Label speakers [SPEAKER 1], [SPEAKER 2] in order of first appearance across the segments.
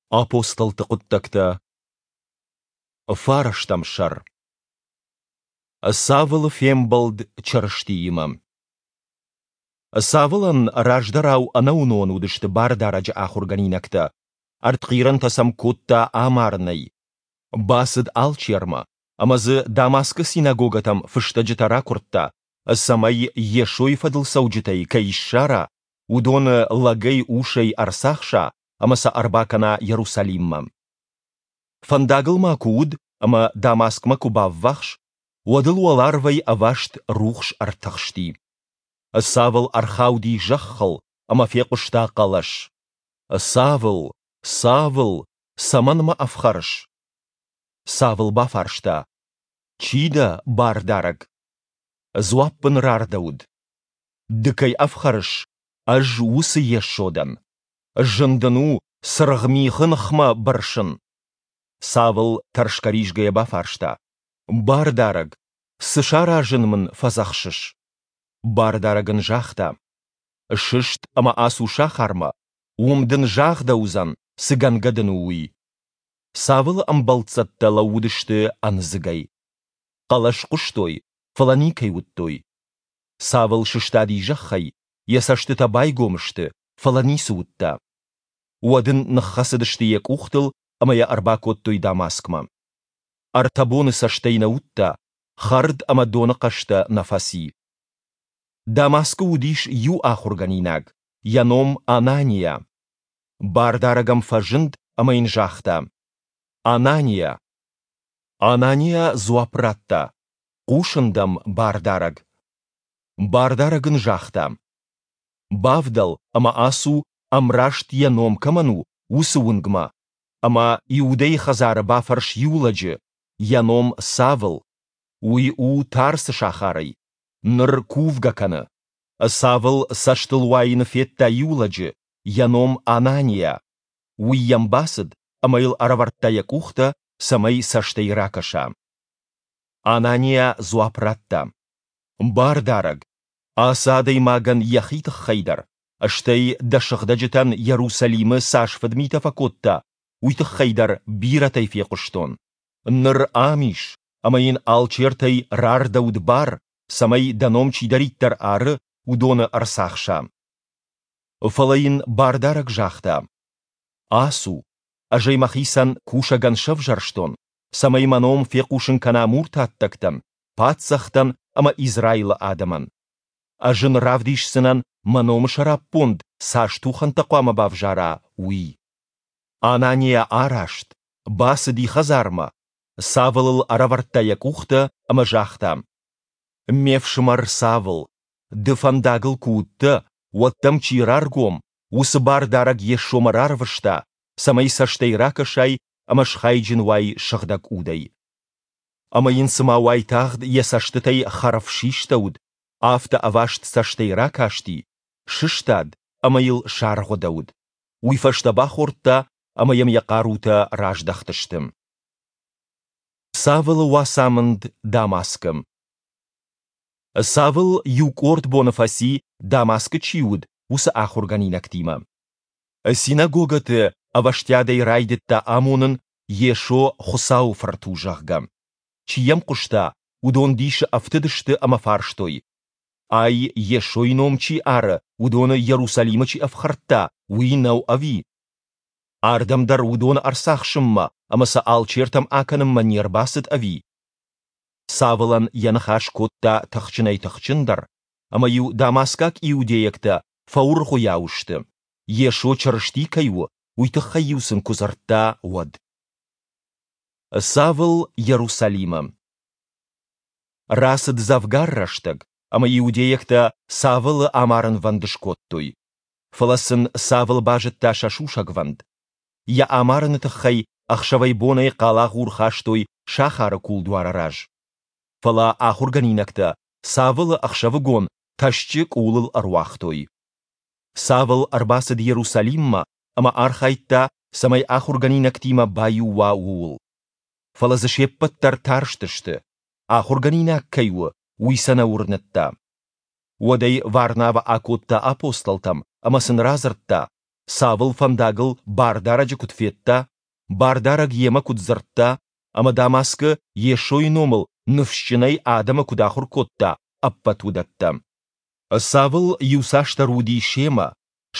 [SPEAKER 1] Апостолты хъуыддӕгтӕ Фарӕстӕм сӕр Савлы фембӕлд Чырыстиимӕ Савлӕн раздӕрау ӕнӕуынон уыдысты Бардарӕджы ахуыргӕнинӕгтӕ, ӕртхъирӕнтӕ сӕм кодта амарынӕй. Бацыд алчермӕ ӕмӕ дзы Дамаскы синагогӕтӕм фыстӕджытӕ ракуырдта, цӕмӕй Йесойы фӕдыл цӕуджытӕй кӕй ссара, уыдоны лӕгӕй-усӕй ӕрцахса ӕмӕ сӕ ӕрбакӕна Иерусалиммӕ. Фӕндагыл ма куы уыд ӕмӕ Дамаскмӕ куы баввахс, уӕд ыл уӕларвӕй ӕваст рухс ӕртыхсти. Савл ӕрхауди зӕххыл ӕмӕ фехъуыста хъӕлӕс: Савл, Савл, цӕмӕн мӕ ӕфхӕрыс? Савл бафарста: Чи дӕ, Бардарӕг? Дзуапп ын рардӕуыд: Ды кӕй ӕфхӕрыс, ӕз уыцы Йесо дӕн. Зын дын у цыргъ михы ныхмӕ бырсын. Савл тӕрсгӕ-ризгӕйӕ бафарста: Бардарӕг, цы саразын мын фӕдзӕхсыс? Бардарӕг ын загъта: Сыст ӕмӕ ацу сахармӕ, уым дын загъдӕуыдзӕн, цы гӕнгӕ дын у, уый. Савлы ӕмбӕлццӕттӕ лӕууыдысты ӕндзыгӕй. Хъӕлӕс хъуыстой, фӕлӕ никӕй уыдтой. Савл сыстади зӕххӕй, йӕ цӕстытӕ байгом сты, фӕлӕ ницы уыдта. Уӕд ын ныххӕцыдысты йӕ къухтыл ӕмӕ йӕ ӕрбакодтой Дамаскмӕ. Ӕртӕ боны цӕстӕй нӕ уыдта, хӕрд ӕмӕ доны хъӕстӕ нӕ фӕци. Дамаскы уыдис иу ахуыргӕнинаг, йӕ ном Анания. Бардарӕг ӕм фӕзынд ӕмӕ йын загъта: Анания! Анания дзуапп радта: Хъусын дӕм, Бардарӕг. Бардарӕг ын загъта: Бавдӕл ӕмӕ ацу, ӕмраст йӕ ном кӕмӕн у, уыцы уынгмӕ, ӕмӕ Иудӕйы хӕдзары бафӕрс иу лӕджы, йӕ ном Савл. Уый у Тарсы сахарӕй. Ныр кувгӕ кӕны. Савл цӕстылуайыны федта иу лӕджы, йӕ ном Анания. Уый йӕм бацыд ӕмӕ йыл ӕрӕвӕрдта йӕ къухтӕ, цӕмӕй цӕстӕй ракӕса. Анания дзуапп радта: Бардарӕг, ацы адӕймагӕн йӕхи тыххӕй дӕр, стӕй дӕ сыгъдӕджытӕн Иерусалимы цас фыдмитӕ фӕкодта, уый тыххӕй дӕр бирӕтӕй фехъуыстон. Ныр ам ис, ӕмӕ йын алчертӕй рардӕуыд бар, цӕмӕй дӕ ном чидӕриддӕр ары, уыдоны ӕрцахса. Фӕлӕ йын Бардарӕг загъта: Ацу, ӕз ӕй мӕхицӕн кусӕгӕн сӕвзӕрстон, цӕмӕй мӕ ном фехъусын кӕна муртаттӕгтӕн, паддзӕхтӕн ӕмӕ Израилы адӕмӕн. Ӕз ын равдисдзынӕн, мӕ номы сӕраппонд цас тухӕнтӕ хъуамӕ бавзара, уый. Анания араст, бацыди хӕдзармӕ, Савлыл ӕрӕвӕрдта йӕ къухтӕ ӕмӕ загъта: Ме фсымӕр Савл, ды фӕндагыл куы уыдтӕ, уӕд дӕм чи раргом, уыцы Бардарӕг Йесомӕ рарвыста, цӕмӕй цӕстӕй ракӕсай ӕмӕ схайджын уай Сыгъдӕг Удӕй. Ӕмӕ йын цыма уайтагъд йӕ цӕстытӕй хӕрв систӕуыд, афтӕ ӕваст цӕстӕй ракасти, сыстад ӕмӕ йыл саргъуыдӕуыд. Уый фӕстӕ бахордта ӕмӕ йӕм йӕ хъарутӕ раздӕхтысты. Савлы уацамынд Дамаскы Савл иу къорд боны фӕци, Дамаскы чи уыд, уыцы ахуыргӕнинӕгтимӕ. Синагогӕты ӕвӕстиатӕй райдыдта амонын, Йесо Хуыцауы Фырт у, зӕгъгӕ. Чи йӕм хъуыста, уыдон дисы ӕфтыдысты ӕмӕ фарстой: Ай, Йесойы ном чи ары, уыдоны Иерусалимы чи ӕфхӕрдта, уый нӕу ӕви? Ардӕм дӕр уыдоны ӕрцахсынмӕ ӕмӕ сӕ алчертӕм акӕнынмӕ не рбацыд ӕви? Савлӕн йӕ ныхас кодта тыхджынӕй-тыхджындӕр, ӕмӕ-иу дамаскаг иудейӕгтӕ фӕуыргъуыйау сты, Йесо Чырысти кӕй у, уый тыххӕй-иу сын куы дзырдта, уӕд. Савл Иерусалимы Рацыд дзӕвгар рӕстӕг, ӕмӕ иудейӕгтӕ Савлы амарынвӕнд скодтой. Фӕлӕ сын Савл базыдта сӕ сусӕгвӕнд. Йӕ амарыны тыххӕй ӕхсӕвӕй-бонӕй хъалагъур хастой сахары кулдуары раз. Фӕлӕ ахуыргӕнинӕгтӕ Савлы ӕхсӕвыгон тӕсчъы къулыл ӕруагътой. Савл ӕрбацыд Иерусалиммӕ ӕмӕ архайдта, цӕмӕй ахуыргӕнинӕгтимӕ баиу уа, ууыл. Фӕлӕ дзы се ппӕт дӕр тарстысты, ахуыргӕнинаг кӕй у, уый сӕ нӕ уырныдта. Уӕд ӕй Варнавӕ акодта апостолтӕм ӕмӕ сын радзырдта, Савл фӕндагыл Бардарӕджы куыд федта, Бардарӕг йемӕ куыд дзырдта ӕмӕ Дамаскы Йесойы номыл ныфсджынӕй адӕмы куыд ахуыр кодта, ӕппӕт уыдӕттӕ. Савл иуцасдӕр уыди семӕ,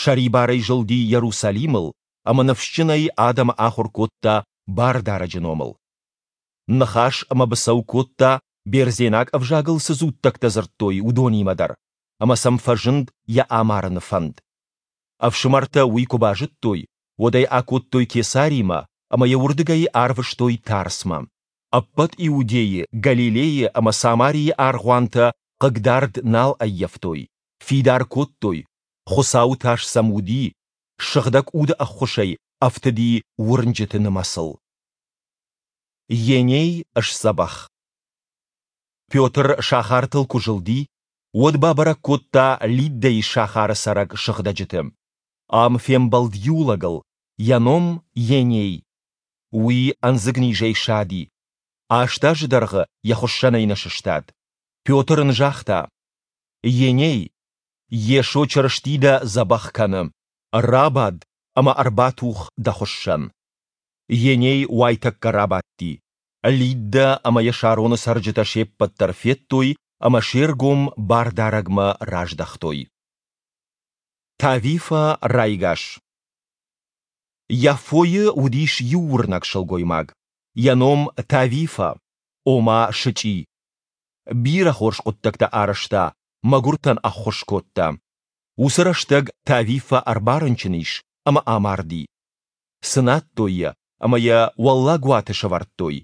[SPEAKER 1] сӕрибарӕй зылди Иерусалимыл ӕмӕ ныфсджынӕй адӕмы ахуыр кодта Бардарӕджы номыл. Ныхас ӕмӕ быцӕу кодта, бердзенаг ӕвзагыл цы дзуттӕгтӕ дзырдтой, уыдонимӕ дӕр, ӕмӕ сӕм фӕзынд йӕ амарыны фӕнд. Ӕфсымӕртӕ уый куы базыдтой, уӕд ӕй акодтой Кесаримӕ ӕмӕ йӕ уырдыгӕй арвыстой Тарсмӕ. Ӕппӕт Иудейы, Галилейы ӕмӕ Самарийы аргъуантӕ хъыгдард нал ӕййӕфтой, фидар кодтой, Хуыцауы тас сӕм уыди, Сыгъдӕг Уды ӕххуысӕй ӕфтыди уырнджыты нымӕцыл. Еней сдзӕбӕх. Петр сахартыл куы зылди, уӕд бабӕрӕг кодта Лиддӕйы сахары цӕрӕг сыгъдӕджыты. Ам фембӕлд иу лӕгыл, йӕ ном Еней. Уый ӕндзыгнизӕй сади. Аст азы дӕргъы йӕ хуыссӕнӕй нӕ сыстад. Петр ын загъта: Еней, Йесо Чырысти дӕ дзӕбӕх кӕны. Рабад ӕмӕ ӕрбатух дӕ хуыссӕн. Еней уайтӕккӕ рабадти. Лиддӕ ӕмӕ йӕ Сароны цӕрджытӕ се ппӕт дӕр федтой ӕмӕ се ргом Бардарӕгмӕ раздӕхтой. Тавифӕ райгас. Яффойы уыдис иу уырнӕг сылгоймаг, йӕ ном Тавифӕ, ома сычъи. Бирӕ хорз хъуыддӕгтӕ арӕзта, мӕгуыртӕн ӕххуыс кодта. Уыцы рӕстӕг Тавифӕ ӕрбарынчын ис ӕмӕ амарди. Цынадтой йӕ ӕмӕ йӕ уӕллаг уаты сӕвӕрдтой.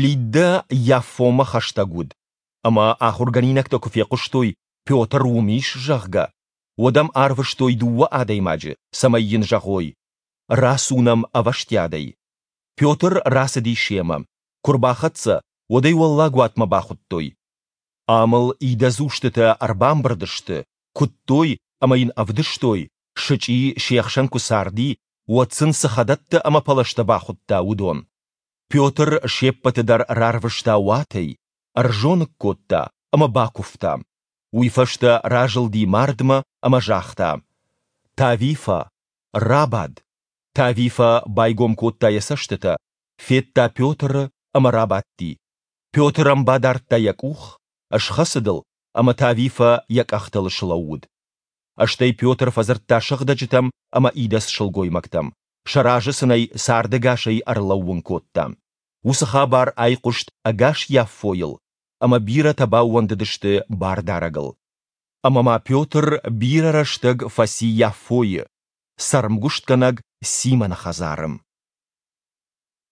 [SPEAKER 1] Лиддӕ Яффомӕ хӕстӕг уыд, ӕмӕ ахуыргӕнинӕгтӕ куы фехъуыстой, Петр уым ис, зӕгъгӕ, уӕд ӕм арвыстой дыууӕ адӕймаджы, цӕмӕй йын зӕгъой, Рацу нӕм ӕвӕстиатӕй. Петр рацыди семӕ. Куы рбахӕццӕ, уӕд ӕй уӕллаг уатмӕ бахуыдтой. Ам ыл идӕдз устытӕ ӕрбамбырд сты, куыдтой ӕмӕ йын ӕвдыстой, сычъи се хсӕн куы царди, уӕд сын цы хӕдӕттӕ ӕмӕ пӕлӕзтӕ бахуыдта, уыдон. Петр се ппӕты дӕр рарвыста уатӕй, ӕрзоныг кодта ӕмӕ бакуывта. Уый фӕстӕ разылди мардмӕ ӕмӕ загъта: Тавифӕ, рабад! Тавифӕ байгом кодта йӕ цӕстытӕ, федта Петры ӕмӕ рабадти. Петр ӕм бадардта йӕ къух, схӕцыд ыл, ӕмӕ Тавифӕ йӕ къӕхтыл слӕууыд. Стӕй Петр фӕдзырдта сыгъдӕджытӕм ӕмӕ идӕдз сылгоймӕгтӕм, сӕ разы сын ӕй цардӕгасӕй ӕрлӕууын кодта. Уыцы хабар айхъуыст ӕгас Яффойыл, ӕмӕ бирӕтӕ баууӕндыдысты Бардарӕгыл. Ӕмӕ ма Петр бирӕ рӕстӕг фӕци Яффойы, цӕрмгуыстгӕнӕг Симоны хӕдзары.